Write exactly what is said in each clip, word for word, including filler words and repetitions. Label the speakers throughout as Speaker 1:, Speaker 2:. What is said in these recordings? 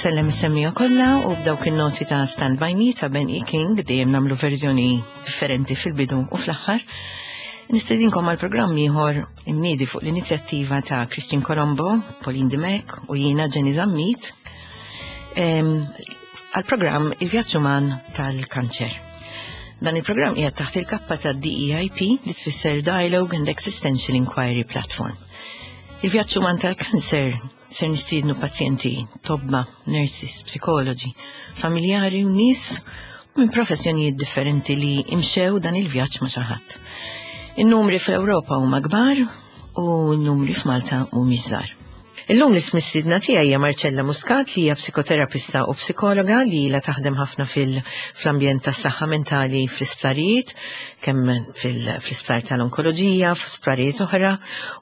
Speaker 1: Insellem is-semmiegħa kollha u b'dawk in-noti ta' Stand By Me ta' Ben E. King, dejjem nagħmlu verżjoni differenti fil-bidu u fl-aħħar. Nistedinkom għal programm ieħor imniedi fuq l-inizjattiva ta' Christian Colombo, Pauline Dimech u jiena Jenny Zammit għal programm Il-Vjaġġ Uman tal-Kanċer. Dan il-programm qiegħed taħt il-kappa ta' D E I P, li tfisser Dialogue and Existential Inquiry Platform. Il-Vjaġġ Uman tal-Kanċer ser nistiednu pazjenti, tobba, nurses, psikoloġi, familjari u nies minn professjonijiet differenti li imxew dan il-vjaġġ ma' xi ħadd. In-numri fl-Ewropa huma kbar u n-numri f'Malta mhumiex żgħar. Illum l-mistiedna tiegħi hija Marcella Muscat, li hija psikoterapista u psikologa li ilha taħdem ħafna fil-ambjent tas-saħħa mentali fl-isptarijiet, kemm fil-isptar tal-onkoloġija, fl-isptarijiet oħra,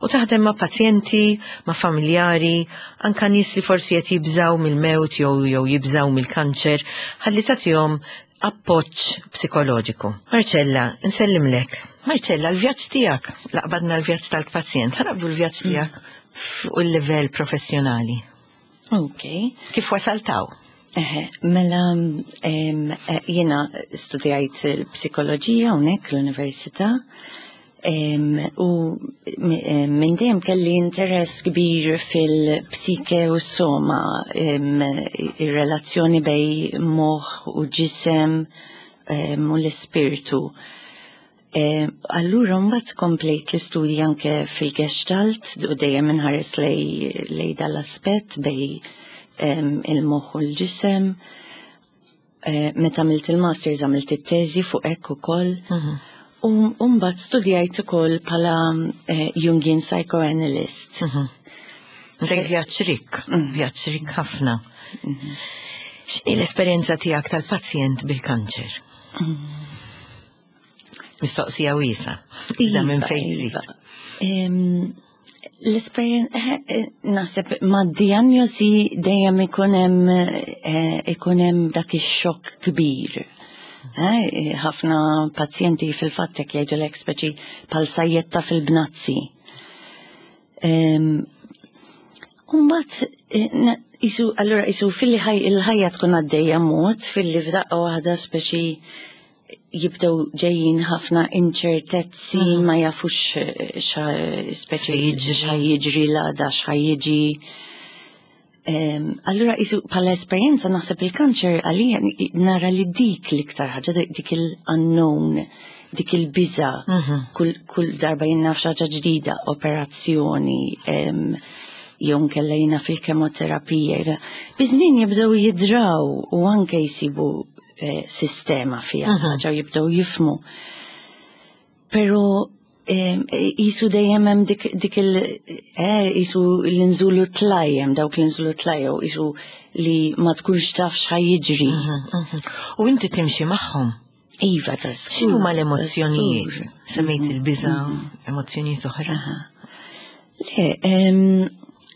Speaker 1: u taħdem ma' pazjenti, ma' familjari, anka nies li forsi qed jibżaw mill-mewt jew jew jibżaw mill-kanċer, ħalli tagħtihom appoġġ psikoloġiku. Marcella, nsellimlek. Marcella, l-vjaġġ tiegħek, la qbadna l-vjaġġ tal-pazjent, ħa naqbdu l-vjaġġ tiegħek fuq il-livell professjonali.
Speaker 2: Ok.
Speaker 1: Kif wasalt hawn?
Speaker 2: Eħe, mela em, eh, jiena studjajt il-psikoloġija hawnhekk l-università em, u mi- em, minn dejjem kelli interess kbir fil-psike u s-soma, em, ir-relazzjoni bejn moħħ u ġisem em, u l-ispirtu. Eh, Allura mbagħad komplejt l-istudji anke fil-Gestalt u dejjem inħares lejn lejn dal-aspett bejn em, il-moħħ u l-ġisem. Eh, Meta għamilt il-masters għamilt it-teżi fuq hekk ukoll. U u mbagħad studjajt ukoll bħala eh, Jungian psychoanalyst.
Speaker 1: Dak vjaġġ rikk, vjaġġ rikk ħafna. X'inhi l-esperjenza tiegħek tal-pazjent bil-kanċer? Mistoqsija wiesgħa. Da minn
Speaker 2: Iva,
Speaker 1: fejn trid.
Speaker 2: Iva. Em, L-esperjen, eh, eh, naħseb ma' diagnosi dejjem ikun hemm eh, ikun hemm dak ix-xokk kbir. Eh, Ħafna pazjenti fil-fatt hekk jgħidulek, speċi bħal sajjetta fil-bnazzi. Em, Umbagħad, isu, allura isu filli ħaj, il-ħajja tkun għaddejja mod, filli f'daqqa waħda speċi jibdew ġejjin ħafna inċertezzi, ma jafux eh, xa speċi
Speaker 1: jiġri.
Speaker 2: Xa jiġri l-għada, xa jiġi. Em, Allura isu bħala esperjenza naħseb il-kanċer għalija nara li dik l-iktar ħaġa, dik il-unknown, dik il-biża, kull, kull darba jien naf xi ħaġa ġdida, operazzjoni, em, jew nkella jiena fil-kemoterapija. Biż-żmien jibdew jidraw u anke jisibu eh, sistema fiha, ħaġa u jibdew jifhmu. Pero eh, jisu dejjem hemm dik, dik il eh, jisu l-inżulu tlajjem, dawk l-inżulu tlajjem, jisu li ma tkunx taf x'ħa jiġri.
Speaker 1: U inti timxi magħhom.
Speaker 2: Iva, ta' skur.
Speaker 1: X'inhuma
Speaker 2: Ta'
Speaker 1: l-emozzjonijiet?
Speaker 2: skur.
Speaker 1: Semmejt il-biża, emozzjonijiet oħra.
Speaker 2: Le, em,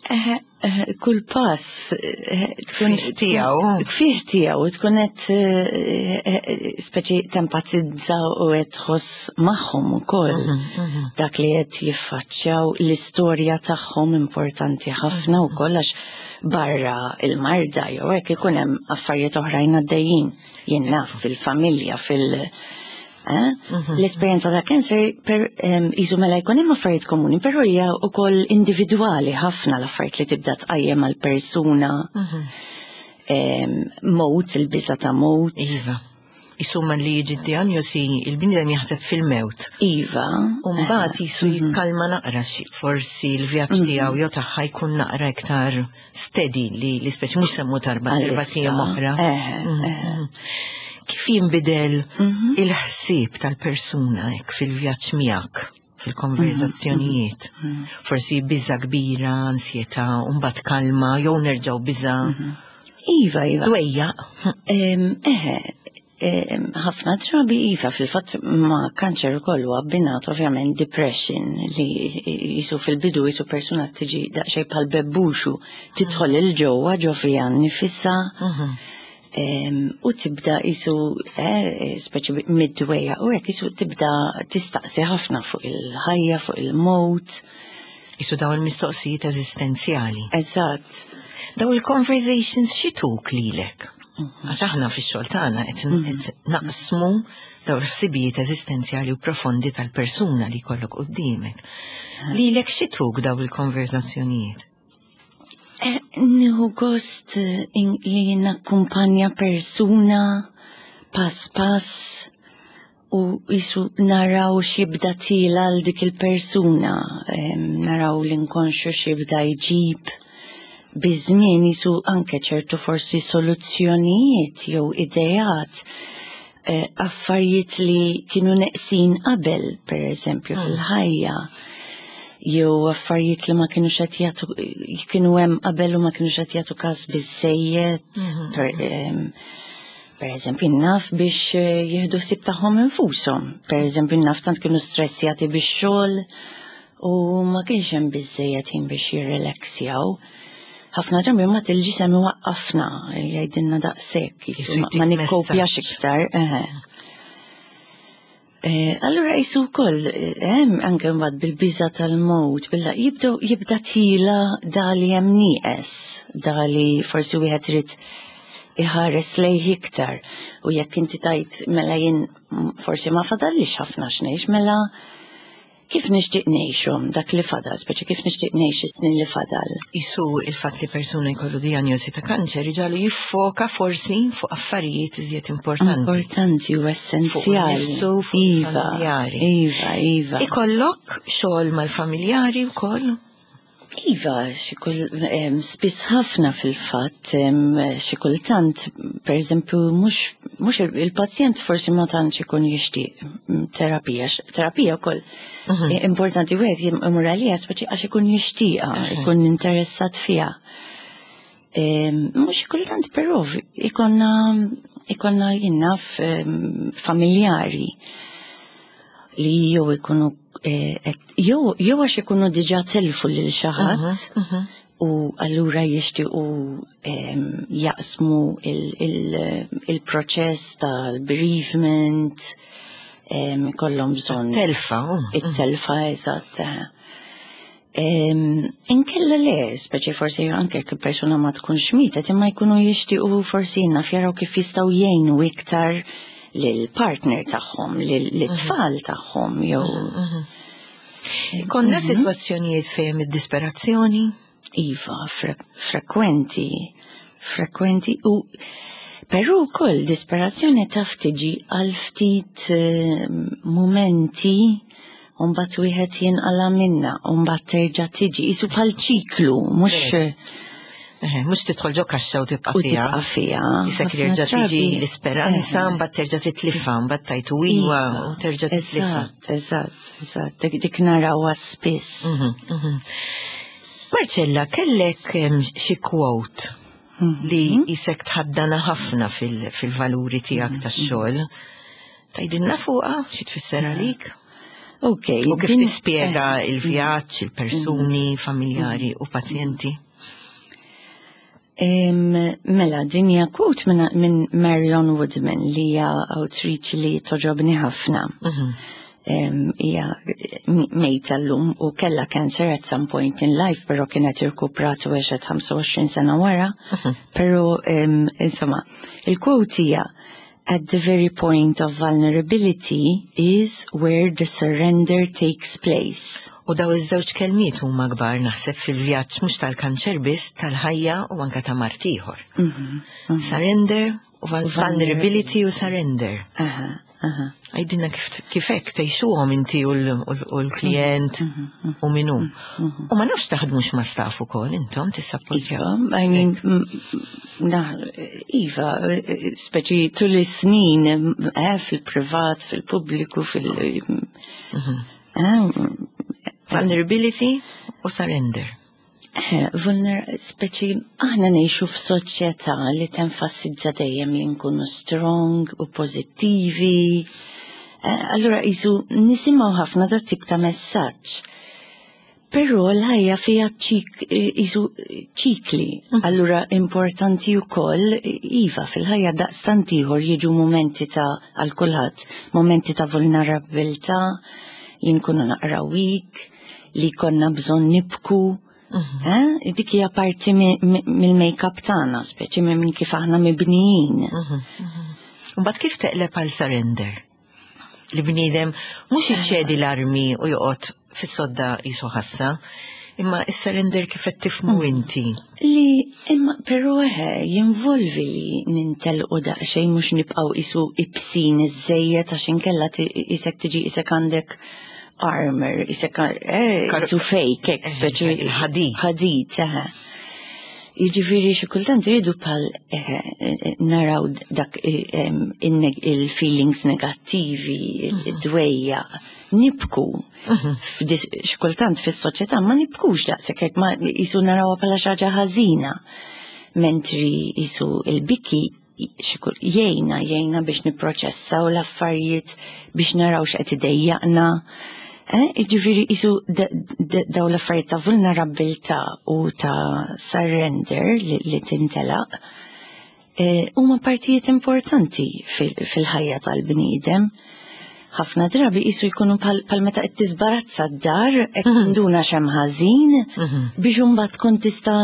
Speaker 2: eh, eh, kull pass eh, tkun
Speaker 1: Fih tiegħu.
Speaker 2: Fih tiegħu tkun qed eh, eh, speċi tempatizza u qed tħoss magħhom ukoll. Dak li qed jiffaċċjaw, l-istorja tagħhom importanti ħafna wkoll, għax barra il-marda jew hekk ikun hemm affarijiet oħrajn għaddejjin. Jien naf fil-familja, fil- Eh? L-esperjenza ta' cancer per em, isu mela jkun hemm affarijiet komuni, però hija wkoll individwali ħafna, l-affarijiet li tibda tqajjem għal persuna. Em, Mewt, il-biża ta' mewt.
Speaker 1: Iva. Isuma li jiġi diagnosi, il-bniedem jaħseb fil-mewt.
Speaker 2: Iva.
Speaker 1: U mbagħad jisu jikkalma naqra xi, forsi l-vjaġġ tiegħu jew tagħha jkun naqra iktar steady, li li speċi mhux semmu tarba erba'
Speaker 2: Għalissa.
Speaker 1: ijiem oħra.
Speaker 2: Eħe, eħe.
Speaker 1: Kif jinbidel il-ħsieb tal-persuna hekk fil-vjaġġ miegħek, fil-konverzazzjonijiet? Forsi biża kbira, ansjetà, u mbagħad kalma, jew nerġgħu biża.
Speaker 2: Iva, iva.
Speaker 1: Dwejja.
Speaker 2: Em, Eħe, em, ħafna drabi iva, fil-fatt ma' kanċer ukoll huwa abbinat ovvjament depression, li jisu fil-bidu jisu persuna tiġi daqsxejn bħal bebbuxu, tidħol 'il ġewwa ġo fiha nnifisha em, u tibda jisu eh, speċi mid-dwejja u hekk jisu tibda tistaqsi ħafna fuq il-ħajja, fuq il-mewt.
Speaker 1: Jisu dawn il-mistoqsijiet eżistenzjali.
Speaker 2: Eżatt.
Speaker 1: Daw il-conversations x'jtuk lilek? Għax aħna fix-xogħol tagħna qed qed naqsmu daw l-ħsibijiet eżistenzjali u profondi tal-persuna li jkollok qudiemek. Lilek x'jtuk daw il-konverzazzjonijiet?
Speaker 2: Eh, Nieħu gost eh, in- li nakkumpanja persuna pass pass u jisu naraw x'jibda tiela' għal dik il-persuna, em, naraw l-inkonxju x'jibda jġib biż-żmien, jisu anke ċertu forsi soluzzjonijiet jew idejat, eh, affarijiet li kienu neqsin qabel, per eżempju, fil-ħajja, jew affarijiet li ma kienu qed jagħtu, kienu hemm qabel u ma kienu qed jagħtu każ biżejjed. Per, em, per eżempju, naf biex eh, jieħdu ħsieb tagħhom infushom. Per eżempju, naf tant kienu stressjati biex xogħol u ma kienx hemm biżejjed ħin biex jirrelaxjaw. Ħafna drabi ma il-ġisem iwaqqafna, jgħidilna daqshekk,
Speaker 1: Jisu
Speaker 2: jisu ma-
Speaker 1: jtik
Speaker 2: ma nikkopjax
Speaker 1: messaġġ.
Speaker 2: iktar. Eħe. Eh, Allura jisu wkoll, hemm anke mbagħad bil-biża tal-mowt, billa jibdew jibda tiela' dali hemm nieqes, dali forsi wieħed irid iħares lejh iktar. U jekk inti tajt mela jien mm, forsi ma fadallix ħafna x'ngħix, mela kif nixtieq ngħixhom dak li fadal, speċi kif nixtieq ngħix is-snin li fadal?
Speaker 1: Isu il-fatt li persuna jkollu diagnosi ta' kanċer iġagħlu jiffoka forsi fuq affarijiet iżjed importanti.
Speaker 2: Importanti u essenzjali.
Speaker 1: Fuq nifsu, fuq
Speaker 2: Iva,
Speaker 1: il-familjari.
Speaker 2: Iva, iva.
Speaker 1: Ikollok xogħol mal-familjari wkoll?
Speaker 2: Iva, xi kull em, spiss ħafna fil-fatt, em, xi kultant, per eżempju, mhux mhux il-pazjent forsi ma tantx ikun jixtieq mm, terapija, x- terapija wkoll eh, importanti wieħed imur għaliha speċi għax ikun jixtieqha, ikun interessat fiha. Em, Mhux kultant però ikonna ikonna jien naf em, familjari li jew ikunu eh, et- jew jew għax ikunu diġà telfu lil xi ħadd u allura jixtiequ em, jaqsmu il-proċess tal-bereavement, em, ikollhom bżonn
Speaker 1: Telfa, u.
Speaker 2: it-telfa, eżatt. Em, Inkella le, speċi forsi anke jekk persuna ma tkunx mietet, imma jkunu jixtiequ forsi naf jaraw kif jistgħu jgħinu iktar lill-partner tagħhom, lill-tfal tagħhom, jew
Speaker 1: Konna situazzjonijiet fejn id-disperazzjoni?
Speaker 2: Iva, fre frekwenti, frekwenti u però wkoll disperazzjoni taf tiġi għal ftit eh, momenti u mbagħad wieħed jinqala minna, u mbagħad terġa' tiġi, isu bħal ċiklu, mhux
Speaker 1: Eh, Mhux tidħol ġo kaxxa u tibqa'
Speaker 2: u
Speaker 1: fiha.
Speaker 2: tibqa' fiha.
Speaker 1: Isek
Speaker 2: Ħafna
Speaker 1: jerġa' tiġi
Speaker 2: drabi-
Speaker 1: l-isperanza,
Speaker 2: Eh,
Speaker 1: mbagħad terġa' titlifha, mbagħad tajtu iwa
Speaker 2: Iva,
Speaker 1: u terġa' titlifha.
Speaker 2: Eżatt, eżatt, eżatt, dik, dik narawha spiss.
Speaker 1: Mhm, mhm. Marcella, kellek em, xi quote li jisek tħaddana ħafna fil- fil-valuri tiegħek tax-xogħol. Tgħidilna fuqha xi tfisser għalik?
Speaker 2: Ok.
Speaker 1: U kif
Speaker 2: din-
Speaker 1: tispjega il-vjaġġ, il-persuni, familjari u pazjenti?
Speaker 2: Em, Mela, din hija quote minn min Marion Woodman li hija awtriċi li togħġobni ħafna. Em, Hija mejta llum u kella cancer at some point in life, però kienet irkuprat u għexet ħamsa u għoxrin sena wara. Però, em, insomma, il-quote hija: "At the very point of vulnerability is where the surrender takes place."
Speaker 1: U daw iż-żewġ kelmiet huma kbar naħseb fil-vjaġġ mhux tal-kanċer biss, tal-ħajja u anke ta' mard ieħor. Surrender u vul- vulnerability u surrender.
Speaker 2: Aha, aha.
Speaker 1: Għidilna kif kif hekk tgħixuhom inti u l- u l- u l-klient u minu. U ma nafx taħdmux ma' staff ukoll intom tissapportjaw.
Speaker 2: Iva, I mean, m- na, Iva, speċi tul is-snin, eh, fil-privat, fil-pubbliku, fil- eh,
Speaker 1: Vulnerability u surrender.
Speaker 2: eh, vulner, speċi, aħna ngħixu f'soċjetà li tenfasizza dejjem li nkunu strong u pozittivi. Eh, Allura jisu nisimgħu ħafna dat tip ta' messaġġ. Però l-ħajja fija ċik, jisu ċikli. Allura importanti wkoll, iva, fil-ħajja daqstant ieħor jiġu momenti ta' għal kulħadd, momenti ta' vulnerabilità, li nkunu naqra weak, li konna bżonn nibku. Eh? Dik hija parti mill-make-up tagħna, speċi minn kif aħna mibnijin.
Speaker 1: Mbagħad kif teqleb għal surrender? Li bniedem mhux iċedi l-armi u joqgħod fis-sodda qisu ħassa, imma is-surrender kif qed tifhmu inti.
Speaker 2: Li imma però eħe jinvolvi li nintelqu daqsxejn, mhux nibqgħu qisu ibsin iżżejjed, għax inkella qisek tiġi qisek għandek armor, qisek eh, qisu fake, hekk speċi
Speaker 1: Il-ħadid.
Speaker 2: Ħadid, eħe. Jiġifieri xi kultant iridu bħal naraw dak il-feelings negattivi, id-dwejja, nibku. Xi kultant fis-soċjetà ma nibkux daqshekk hekk, ma qisu narawha bħala xi ħaġa ħażina. Mentri qisu il-biki jgħinna, jgħinna biex nipproċessaw l-affarijiet, biex naraw x'qed idejjaqna. Jiġifieri qisu daw l-affarijiet ta' vulnerabilità u ta' surrender li tintelaq huma partijiet importanti fil-ħajja tal-bniedem. Ħafna drabi qisu jkunu bħal meta qed tiżbarazza d-dar, qed tinduna x'hemm ħażin biex imbagħad tkun tista'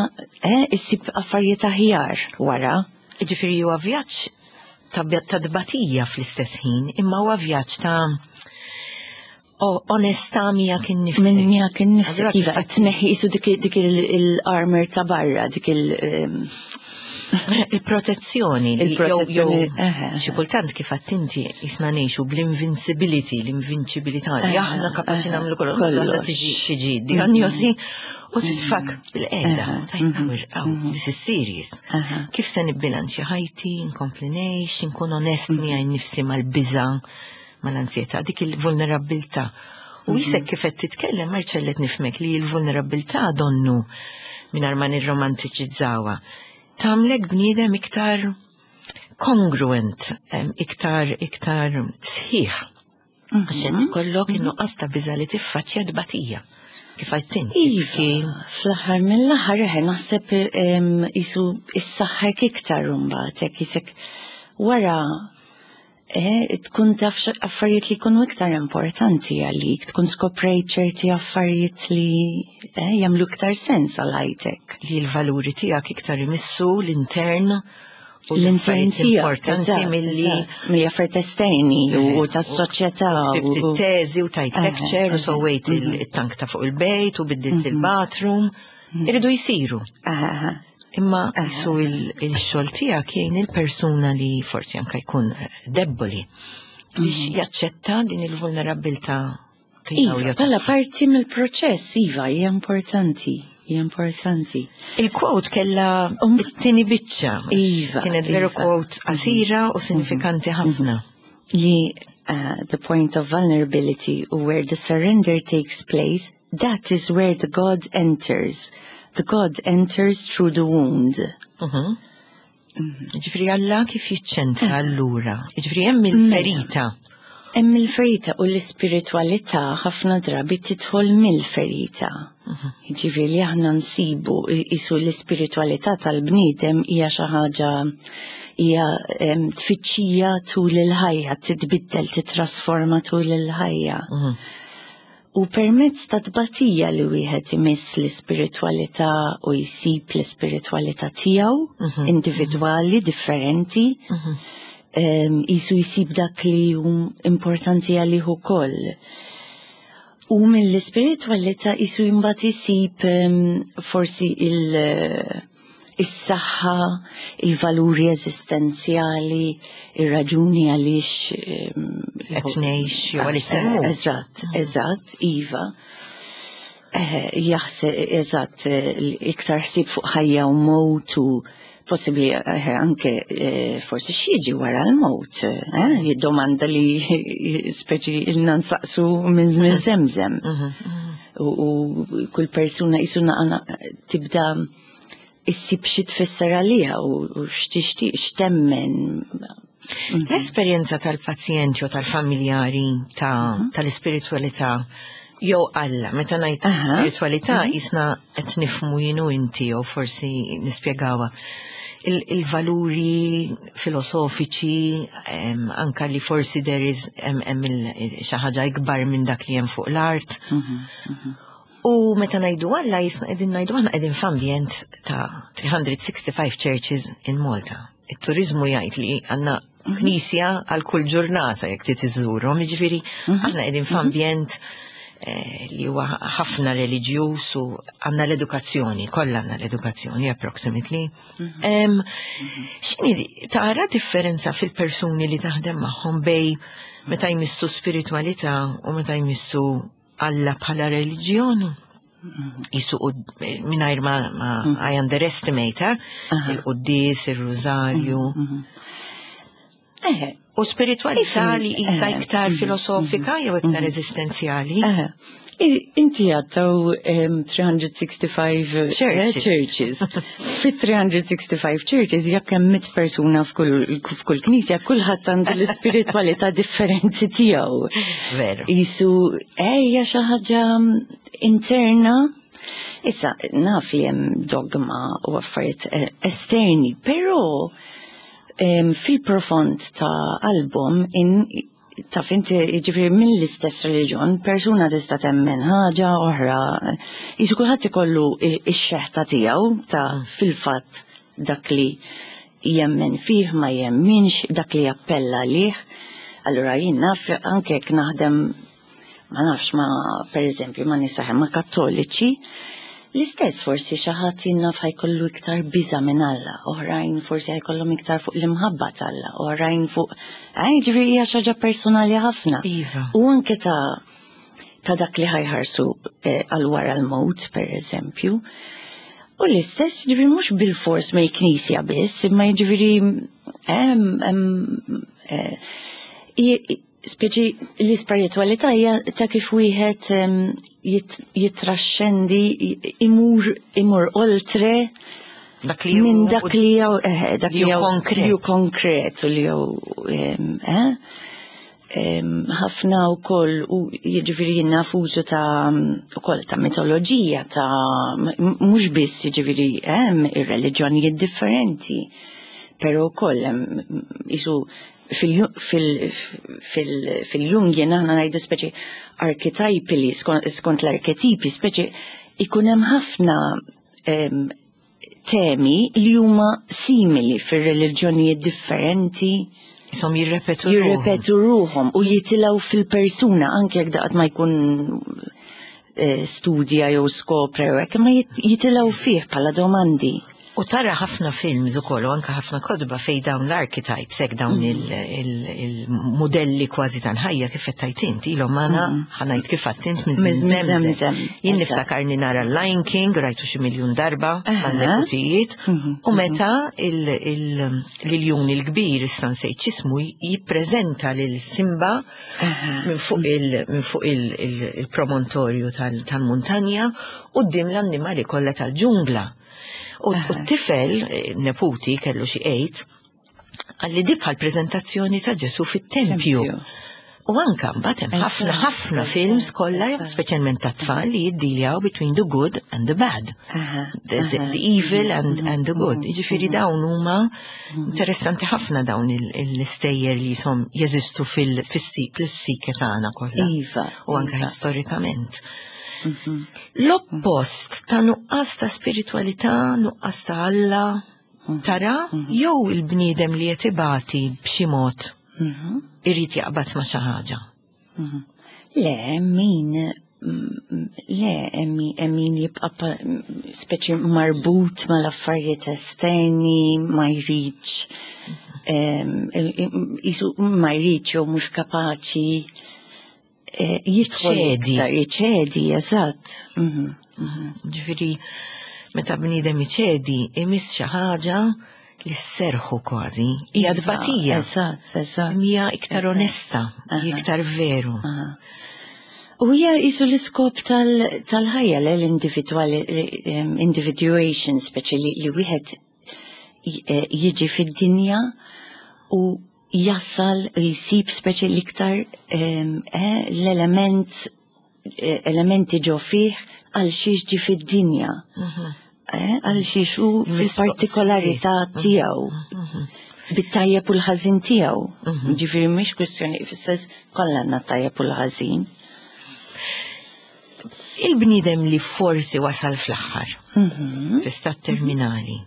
Speaker 2: issib affarijiet aħjar wara.
Speaker 1: Jiġifieri huwa vjaġġ ta' tbatija fl-istess ħin, imma huwa vjaġġ ta' onestà miegħek innifsek.
Speaker 2: Minn miegħek innifsek, iva, qed tneħħi qisu dik il-armor ta' barra, dik il-
Speaker 1: Il-protezzjoni.
Speaker 2: Il-protezzjoni.
Speaker 1: Xi kultant, kif għedt inti, qisna ngħixu bl-invincibility, l-invinċibilità, li aħna kapaċi nagħmlu kollox. Tiġi tiġi diagnosi u tisfak bil-qiegħda. Tajt, this is serious. Kif se nibbilanċi ħajti, nkompli ngħix, nkun onest miegħi nnifsi mal-biża', mal-ansjetà, dik il-vulnerabilità. U qisek kif qed titkellem, Marcellet, nifhmek li l-vulnerabilità donnu, mingħajr ma nirromantiċizzawha, tagħmlek bniedem iktar congruent, iktar iktar sħiħ. Għax int kollok in-nuqqas ta' biża' li tiffaċċja tbatija. Kif għedt inti.
Speaker 2: Iva, fl-aħħar mill-aħħar eħe naħseb qisu issaħħek iktar imbagħad, hekk qisek wara eh, tkun taf affarijiet li jkunu iktar importanti għalik, tkun skoprejt ċerti affarijiet li eh, jagħmlu iktar sens għal ħajtek.
Speaker 1: Li l-valuri tiegħek iktar imissu l-intern u
Speaker 2: l-intern
Speaker 1: l-affarijiet
Speaker 2: tiegħek,
Speaker 1: importanti
Speaker 2: eżatt,
Speaker 1: milli
Speaker 2: eżatt, milli affarijiet esterni u tas-soċjetà.
Speaker 1: Ktibt
Speaker 2: u-
Speaker 1: it-teżi u tajt
Speaker 2: Eh,
Speaker 1: lecture u
Speaker 2: eh,
Speaker 1: sewwejt il-tank ta' fuq il-bejt u biddilt il-bathroom. Iridu jisiru.
Speaker 2: Aha, aha.
Speaker 1: Imma qisu il-xogħol tiegħek jgħin il-persuna li forsi anka jkun debboli biex jaċċetta din il-vulnerabilità tiegħu
Speaker 2: Iva,
Speaker 1: jew
Speaker 2: bħala parti mill-proċess, iva, hija importanti, hija importanti.
Speaker 1: Il-quote kella it-tieni biċċa.
Speaker 2: Iva,
Speaker 1: Kienet veru
Speaker 2: iva.
Speaker 1: quote qasira u sinifikanti ħafna.
Speaker 2: Li uh, the point of vulnerability where the surrender takes place, that is where the God enters. The God enters through the wound.
Speaker 1: Mhm. Ġifieri Alla kif jiċċentra allura? Ġifieri hemm il-ferita.
Speaker 2: Hemm il-ferita, u l-ispiritualità ħafna drabi tidħol mill-ferita. Ġifieri li aħna nsibu qisu l-ispiritualità tal-bniedem hija xi ħaġa, hija em, tfittxija tul il-ħajja, titbiddel, titrasforma tul il-ħajja. U permezz ta' tbatija li wieħed imiss l-ispiritualità u jsib l-ispiritualità tiegħu individwali, differenti, em, qisu jsib dak li hu importanti għalih ukoll. U mill-ispiritualità qisu imbagħad isib em, forsi il- is-saħħa, il-valuri eżistenzjali, ir-raġuni għaliex em,
Speaker 1: Qed ngħix jew għaliex se mmut.
Speaker 2: Eżatt, eżatt, iva. Eh, Jaħseb, eżatt, eh, iktar ħsieb fuq ħajja u mowt u possibli eh, anke eh, forsi x'jiġi wara l-mowt. Eh? Domanda li speċi ilna nsaqsu minn żmien żemżem. U, u kull persuna qisu naqra tibda issib xi tfisser għaliha u, u x'tixtieq, x'temmen.
Speaker 1: L-esperjenza tal-pazjenti u tal-familjari ta' tal-ispiritualità jew Alla, meta ngħid
Speaker 2: Aha.
Speaker 1: spiritualità qisna qed nifhmu jien u inti jew forsi nispjegawha. Il- Il-valuri filosofiċi, em, anka li forsi there is hemm hemm il- xi ħaġa ikbar minn dak li hemm fuq l-art. U meta ngħidu Alla jisna qegħdin ngħidu aħna qegħdin f'ambjent ta' three hundred sixty-five churches in Malta. Il-turizmu jgħid li għandna knisja għal kull ġurnata jekk trid iżżurhom, jiġifieri aħna qegħdin f'ambjent eh, li huwa ħafna reliġjuż u għandna l-edukazzjoni, kollha għandna l-edukazzjoni approximately. Em, X'inhi tara differenza fil-persuni li taħdem magħhom bejn meta jmissu spiritualità u meta jmissu Alla bħala reliġjon? Jisu mingħajr ma, ma I underestimate, eh? Il-quddies, il-rużarju.
Speaker 2: Eh,
Speaker 1: U spiritualità li jisa
Speaker 2: Eh,
Speaker 1: iktar filosofika jew iktar eżistenzjali.
Speaker 2: eh. I- Inti għattaw um, three hundred sixty-five eh,
Speaker 1: Churches.
Speaker 2: Churches. Fi three hundred sixty-five churches, jekk hemm mitt persuna f'kull f'kull knisja, kulħadd għandu l-ispiritualità differenti tiegħu.
Speaker 1: Veru.
Speaker 2: Jisu, ejja, xi ħaġa interna. Issa, naf li hemm dogma u affarijiet eh, esterni, però em, fil-profond ta' qalbhom in taf inti, jiġifieri mill-istess reliġjon, persuna tista' temmen ħaġa oħra. Jisu kulħadd ikollu ix-xeħta tiegħu ta' fil-fatt dak li jemmen fih, ma jemminx, dak li jappella lih. Allura jien naf anke jekk naħdem, ma nafx, ma per eżempju ma nisaħ ma kattoliċi, l-istess, forsi xi ħadd jien naf ħa jkollu iktar biża minn Alla, oħrajn forsi ħa jkollhom iktar fuq l-imħabba t'Alla, oħrajn fuq, eh, ġifieri hija xi ħaġa personali ħafna.
Speaker 1: Iva.
Speaker 2: U anke ta' ta' dak li ħa jħarsu eh, għal wara l-mewt, per eżempju. U l-istess, ġifieri mhux bil-fors mill-knisja biss, imma ġifieri hemm hemm eh, i- speċi l-ispiritualità hija ta' kif wieħed em, jit- jitraxxendi, imur imur oltre
Speaker 1: Dak li
Speaker 2: minn
Speaker 1: hu-
Speaker 2: dak li jew eh, dak
Speaker 1: li
Speaker 2: li
Speaker 1: hu
Speaker 2: jew
Speaker 1: konkret.
Speaker 2: li hu konkret u li jew em, eh, em, ħafna wkoll u jiġifieri jien naf użu ta' ukoll ta' mitoloġija ta' m- mhux biss jiġifieri hemm ir-reliġjonijiet differenti, però wkoll hemm isu fil-Jungian aħna ngħidu speċi archetypally, skont l-arketipi, speċi ikun hemm ħafna em, temi li huma simili fir-reliġjonijiet differenti.
Speaker 1: Isom jirrepetu ruħhom.
Speaker 2: Jirrepetu ruħhom u jitilgħu fil-persuna anke jekk daqt ma jkun eh, studja jew skopra jew hekk, imma jit- jitilgħu fih bħala domandi.
Speaker 1: U tara ħafna films ukoll u anka ħafna kotba fej dawn l-archetypes, hekk dawn il-modelli kważi tal-ħajja kif qed tgħid int, ilhom magħna, ħa ngħid kif għedt int, minn
Speaker 2: Minn
Speaker 1: żmien
Speaker 2: żmien
Speaker 1: żemżem.
Speaker 2: żemżem.
Speaker 1: Jien
Speaker 2: Eżatt.
Speaker 1: niftakarni nara Lion King, rajtu xi miljun darba
Speaker 2: Aha.
Speaker 1: man-neputijiet, u meta l-iljun il-kbir, issa nsejt x'ismu, jippreżenta lil Simba minn fuq il- minn fuq il- il- il-promontorju tal- tal-muntanja quddiem l-annimali kollha tal-ġungla. U u t-tifel, eh, neputi, kellu xi eight, qalli di bħal prezentazzjoni ta' Ġesu fit-tempju.
Speaker 2: Tempju.
Speaker 1: U anka mbagħad hemm ħafna
Speaker 2: Eżatt,
Speaker 1: ħafna
Speaker 2: eżatt,
Speaker 1: films kollha,
Speaker 2: eżatt.
Speaker 1: speċjalment ta' tfal, li jiddiljaw between the good and the bad.
Speaker 2: Aha,
Speaker 1: The, the,
Speaker 2: aha.
Speaker 1: the evil and, and the good. Jiġifieri dawn huma interessanti ħafna, dawn il- l-istejjer li jisom jeżistu fil-psike tagħna kollha.
Speaker 2: Iva,
Speaker 1: U anka
Speaker 2: iva.
Speaker 1: storikament. L-oppost ta' nuqqas ta' spiritualità, nuqqas ta' Alla, tara, jew il-bniedem li qed ibati b'xi mod
Speaker 2: Mhm.
Speaker 1: irid jaqbad ma' xi ħaġa.
Speaker 2: Le, min, mm, le, min, min jibqa pa- speċi marbut mal-affarijiet esterni, ma jridx, em, jisu ma jridx jew mhux kapaċi eh, jidħol
Speaker 1: Jiċċedi.
Speaker 2: iktar, jiċċedi, eżatt. Mhm.
Speaker 1: Ġifieri, meta bniedem iċedi, imiss xi ħaġa li sserħu kważi. Hija
Speaker 2: Iva,
Speaker 1: tbatija.
Speaker 2: Eżatt, eżatt.
Speaker 1: Hija iktar onesta, hija iktar veru.
Speaker 2: Aha. U hija jisu l-iskop tal- tal-ħajja l l-individuali individuation, speċi li, li wieħed j- eh, jiġi fid-dinja u jassal jisib speċi l-iktar em, eh, l-element eh, elementi ġo fih għal xiex ġi fid-dinja. Eh, Għal xiex u fil-partikolarità tiegħu. Bit-tajjeb u l-ħażin tiegħu. Ġifieri mhix kwistjoni fis-sens kollha għandna tajjeb u l-ħażin.
Speaker 1: Il-bniedem li forsi wasal fl-aħħar,
Speaker 2: Mhm.
Speaker 1: fi stat terminali,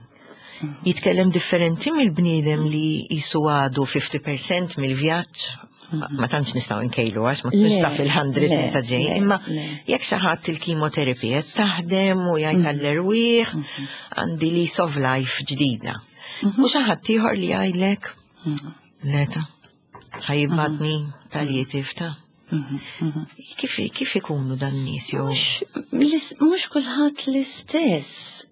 Speaker 1: jitkellem differenti mill-bniedem li jisu għadu fifty percent mill-vjaġġ, ma ma tantx nistgħu nkejlu għax ma tkunx
Speaker 2: Le,
Speaker 1: taf il-mija
Speaker 2: le,
Speaker 1: meta ġej,
Speaker 2: le,
Speaker 1: imma
Speaker 2: le.
Speaker 1: jekk xi ħadd il-kimoterapija taħdem u jgħid għall-erwieħ għandi lease of life ġdida. U xi ħadd ieħor li jgħidlek leta ħa jibgħatni palliative ta'. Kif kif ikunu dan nies jew
Speaker 2: Mhux mhux kulħadd l-istess.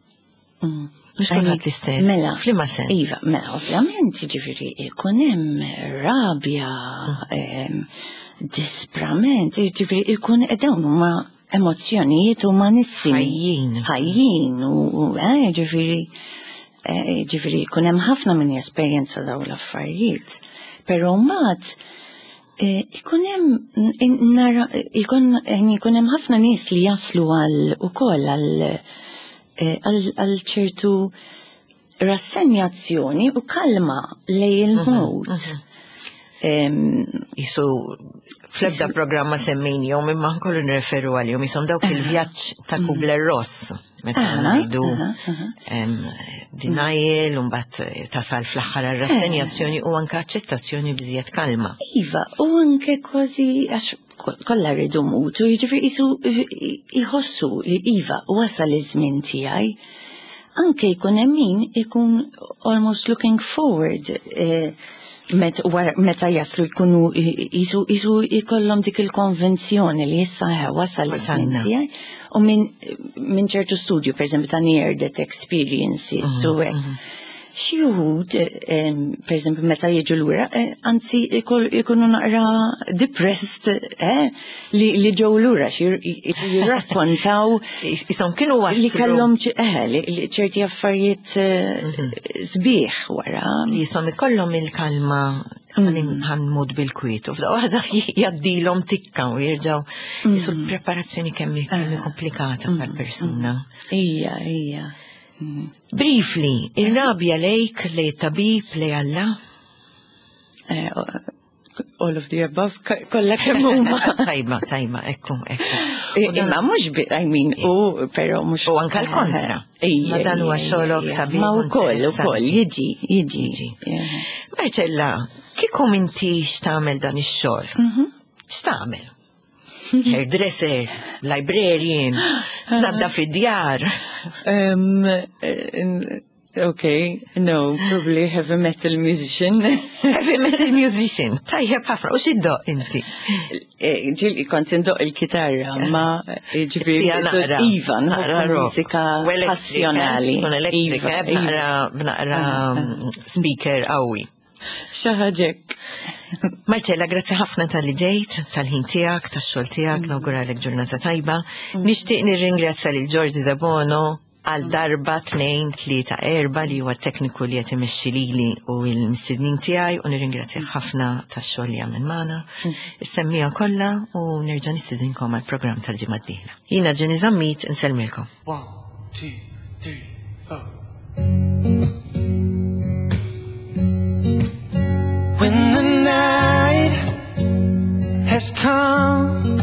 Speaker 2: Mm.
Speaker 1: Mhux kulħadd l-istess.
Speaker 2: Mela.
Speaker 1: F'liema sens?
Speaker 2: Iva, mela, ovvjament, ġifieri, ikun hemm rabja, em, disprament, ġifieri, ikun dawn huma emozzjonijiet umanissimi.
Speaker 1: Ħajjin.
Speaker 2: Ħajjin, u, u, eh, ġifieri, eh, ġifieri, ikun hemm ħafna minn esperjenza dawn l-affarijiet. Però mbagħad eh, ikun hemm nara ikun ikun hemm ħafna nies li jaslu għal ukoll għal eh, għal għal ċertu rassenjazzjoni u kalma lejn il-mewt. Em,
Speaker 1: Jisu fl-ebda programma semmejnihom imma nkollu nreferu għalihom jisom dawk il-vjaġġ ta' Kubler-Ross meta
Speaker 2: Aha,
Speaker 1: ngħidu
Speaker 2: aha, aha.
Speaker 1: em, denial u mbagħad tasal fl-aħħar għar-rassenjazzjoni u anke aċċettazzjoni bżiet kalma.
Speaker 2: Iva, u anke kważi, għax kollha rridu mmutu, jiġifieri jisu jħossu, iva, wasal iż-żmien tiegħi. Anke jkun hemm min ikun almost looking forward eh, met, wara- meta jaslu jkunu jisu jisu jkollhom dik il-konvenzjoni li issa eh, wasal iż-żmien
Speaker 1: Wasalna.
Speaker 2: tiegħi. U minn min ċertu studju, per eżempju, ta' near death experiences, u hekk. Xi wħud, em, per eżempju, meta jiġu lura, eh, anzi ikol- ikunu naqra depressed, eh, li, li ġew lura, xi jirrakkontaw
Speaker 1: Isom kienu
Speaker 2: li
Speaker 1: waslu
Speaker 2: kellhom ċ- eh, li li ċerti affarijiet eh, sbieħ wara.
Speaker 1: Li jisom ikollhom il-kalma ħa mmut bil-kwiet. U f'daqqa waħda jgħaddilhom tikka u jirġgħu jisu l-preparazzjoni kemm hi kemm hi komplikata tal-persuna.
Speaker 2: Ija, ija.
Speaker 1: Briefly, ir-rabja lejk, lej tabib, lej Alla?
Speaker 2: Eh, all of the above, kollha kemm huma.
Speaker 1: Tajba, tajba, ekku, ekku. U dan-
Speaker 2: Imma mhux bi, I mean, u però mhux.
Speaker 1: U anka l-kontra.
Speaker 2: Ija,
Speaker 1: Ma dan huwa
Speaker 2: ija,
Speaker 1: xogħolok
Speaker 2: ija.
Speaker 1: sabiħ
Speaker 2: Ma
Speaker 1: u
Speaker 2: wkoll, ukoll,
Speaker 1: interessanti.
Speaker 2: jiġi, jiġi.
Speaker 1: Jiġi.
Speaker 2: Yeah.
Speaker 1: Marcella, kieku m'intix tagħmel dan ix-xogħol?
Speaker 2: Mhm.
Speaker 1: X'tagħmel? Hairdresser, librarian, tnaddaf id-djar.
Speaker 2: Um, uh, okay, no, probably heavy metal musician.
Speaker 1: Heavy metal musician. Tajjeb ħafna, u x'iddoqq inti?
Speaker 2: Eh, Ġieli kont indoqq il-kitarra, ma eh, ġifieri
Speaker 1: Tija naqra.
Speaker 2: Iva,
Speaker 1: Naqra
Speaker 2: nħobb
Speaker 1: rock.
Speaker 2: mużika
Speaker 1: U elettrika,
Speaker 2: passjonali.
Speaker 1: Tkun elettrika,
Speaker 2: Iva,
Speaker 1: eh, b'naqra b'naqra mm, speaker qawwi.
Speaker 2: Xi ħaġa hekk.
Speaker 1: Marcella, grazzi ħafna talli ġejt, tal-ħin tiegħek, tax-xogħol tiegħek, nawguralek ġurnata tajba. Nixtieq nirringrazzja lil Giorgi Dabono għal darba, tnejn, tlieta, erba li huwa tekniku li qed imexxi lili u l-mistednin tiegħi u nirringrazzja ħafna tax-xogħol li għamel magħna. Is-semmiegħa kollha u nerġa' nistedinkom għall-programm tal-ġimgħa d-dieħla. Jiena Ġeni Zammit, insellmilkom.
Speaker 3: One, two, three, four. When the night has come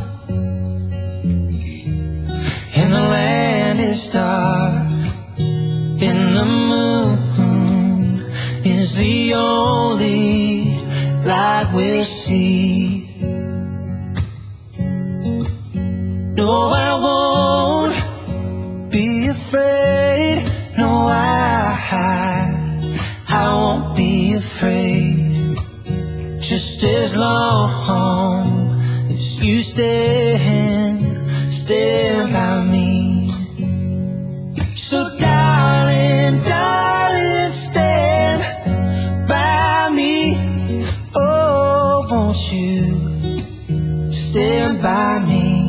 Speaker 3: and the land is dark and the moon is the only light we'll see. No, I won't be afraid. No, I, I won't be afraid. Just as long as you stand, stand by me. So, darling, darling, stand by me. Oh, won't you stand by me?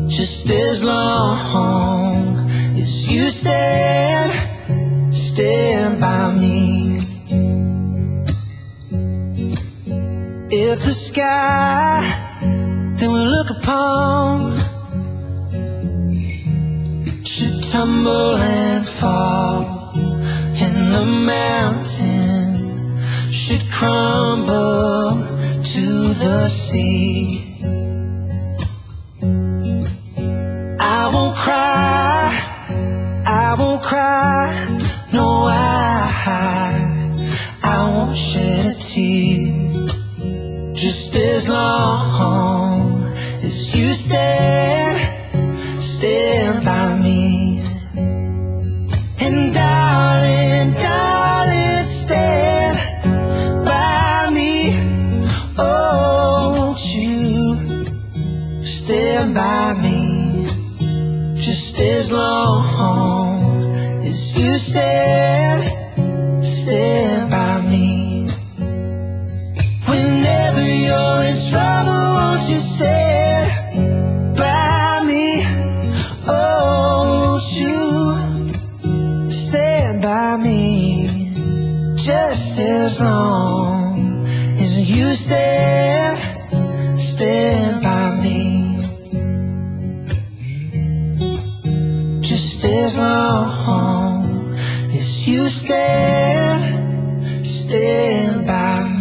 Speaker 3: Just as long as you stand, stand by me. If the sky that we look upon should tumble and fall, and the mountain should crumble to the sea. cry. No, I, I won't shed a tear. Just as long as you stand, stand by me. And darling, darling, stand by me. Oh, won't you stand by me? Just as long as you stand, stand by me. Whenever you're in trouble, won't you stand by me? Oh, won't you stand by me? Just as long as you stand, stand by me. Just as long as you stand, stand by me.